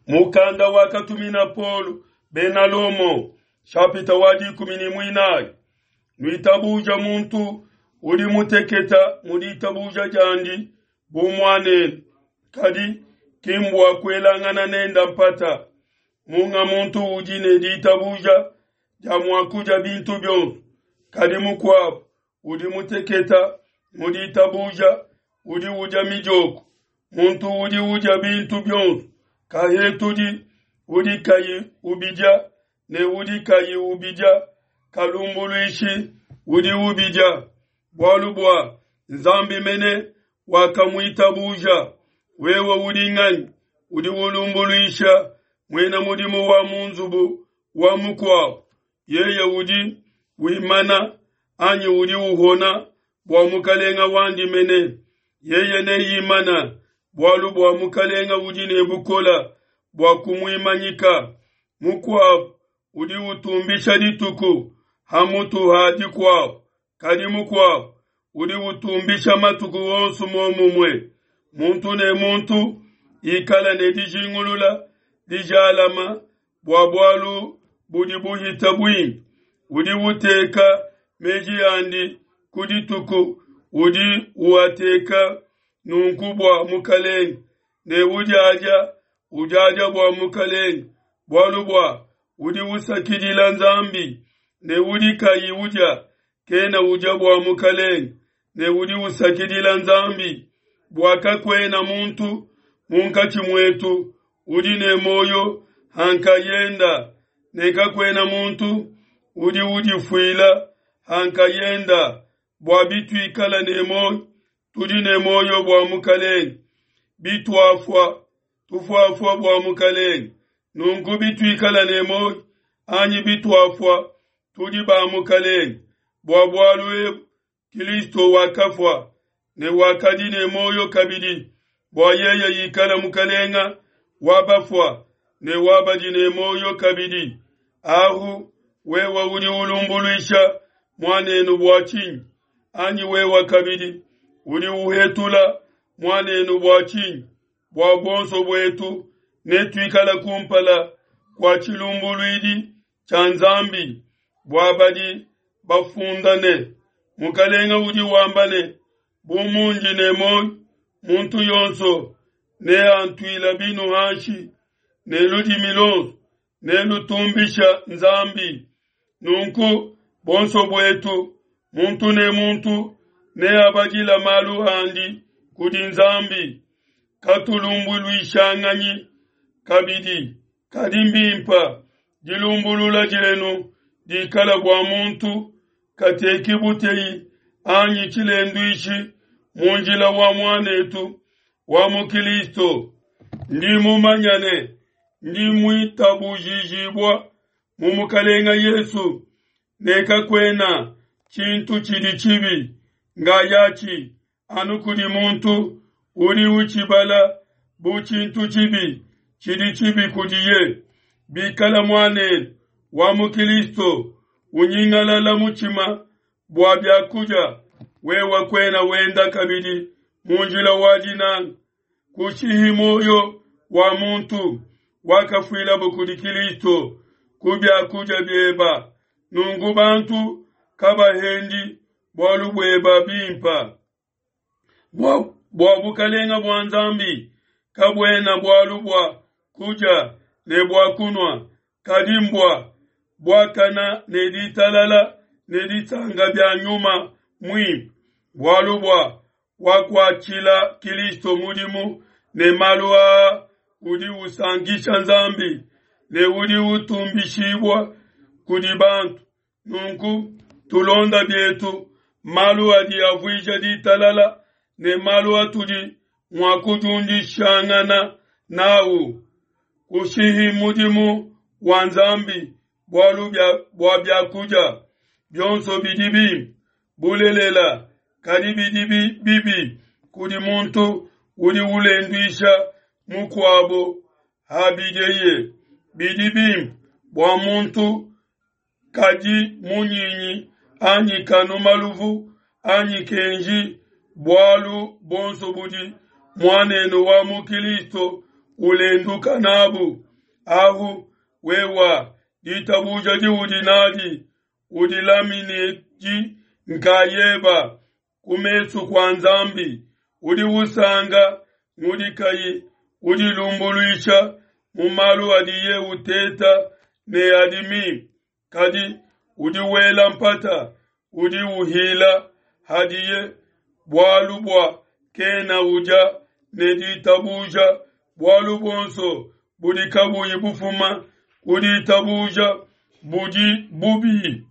Mukanda wakatumina Paulo bena Lomo, shapita wa 14. Nuitabuja muntu udi muteketa mu ditabuja diandi bu muanenu, kadi ki mbua kuelangana nenda mpata. Munga muntu udi ne ditabuja dia mua kudia bintu bionso, kadi mukuabu udi muteketa mu ditabuja udi udia midioko. Muntu udi udia bintu bionso kahetudi udi kayi ubidia, ne udi kayi ubidia kalumbuluishi udi ubidia, bualu bua Nzambi mene wakamuitabuja. Wewe udi nganyi udi ulumbuluisha muena mudimu wa mu nzubu wa mukuabu? Yeye udi wimana anyi udi uhona bua mukalenga wandi mene. Yeye neimana bualu bua mukalenga udi ne bukola bua kumuimanyika. Mukuabu udi utumbisha dituku hamutu ha dikuabu, kadi mukuabu udi utumbisha matuku onso muomumue. Muntu ne muntu ikala ne dijingulula dijalama bua bualu budi buhita buimpe. Udi uteka meji andi ku dituku, udi uateka nunku bua mukalenge, ne udiadia udiadia bua mukalenge, bualu bua udi usakidila Nzambi, ne udi kayi udia kena udia bua mukalenge, ne udi usakidila Nzambi. Bua kakuena muntu munkatshi muetu udi ne muoyo hankayenda, ne kakuena muntu udi udifuila hankayenda. Bua bituikala ne muoyo, tudi ne muoyo bua mukalenge; bituafua, tufuafua bua mukalenge. Nunku bituikala ne muoyo anyi bituafua, tudi ba mukalenge. Bua bualu ebu Kilisto wakafua ne wakadi ne muoyo kabidi, bua yeye ikala mukalenga wa bafua ne wa badi ne muoyo kabidi. Ahu wewe udi ulumbuluisha muanenu bua tshinyi? Anyi wewe kabidi udi uhetula muanenu bua tshinyi? Bua buonso buetu netuikala kumpala kua tshilumbuluidi tshia Nzambi. Bua badi bafunda ne, Mukalenga udi wamba ne, bu mundi ne muoyo, muntu yonso neantuila binu hanshi, ne ludimi luonso nelutumbisha Nzambi. Nunku bonso buetu, muntu ne muntu neabadila malu andi kudi Nzambi. Katulumbuluishanganyi kabidi, kadi mbimpa dilumbulula dienu dikala bua muntu kateki buteyi anyi tshilenduishi mu njila wa muanetu wa mu Kilisto. Ndi mumanya ne ndi muitabujijibua mu Mukalenga Yesu ne kakuena tshintu tshidi tshibi ngayatshi anu kudi muntu udi utshibala bu tshintu tshibi tshidi tshibi kudiye. Bikala muanenu wa mu Kilisto unyingalala mutshima bua biakudia, wewe kuena wenda kabidi mu njila wa dinanga. Kushihi muoyo wa muntu wakafuilabo kudi Kilisto ku biakudia bieba. Nunku bantu kabahendi bualu bueba bimpa. Bua bukalenga bua Nzambi kabuena bualu bua kudia ne bua kunua, kadi mbua buakana ne ditalala ne disanka bia nyuma muimpe. Bualu bua wakuatshila Kilisto mudimu ne malu aa udi usankisha Nzambi ne udi utumbishibua kudi bantu. Nunku tulonda bietu malu adi avuija ditalala ne malu atudi mua kudiundishangana nawu. Kushihi mudimu wa Nzambi bualu bua biakudia bionso bidi bimpe bulelela, kadi bidi bibi kudi muntu udi ulenduisha mukuabo habidieye. Bidi bimpe bua muntu kadi munyinyi anyi kanu maluvu anyi kenji bualu bonso budi muanenu wa mu Kilisto ulenduka nabu. Ahu wewa ditabuja diudi nadi udilaminedi nkayeba ku mesu kua Nzambi. Udi usanga ngudi kayi udilumbuluisha mu malu adiye uteta ne adi mimpe, kadi udi wela mpata udi uhila hadiye, bualu bua kena udia ne ditabuja. Bualu buonso budi kabuyi bufuma ku ditabuja budi bubi.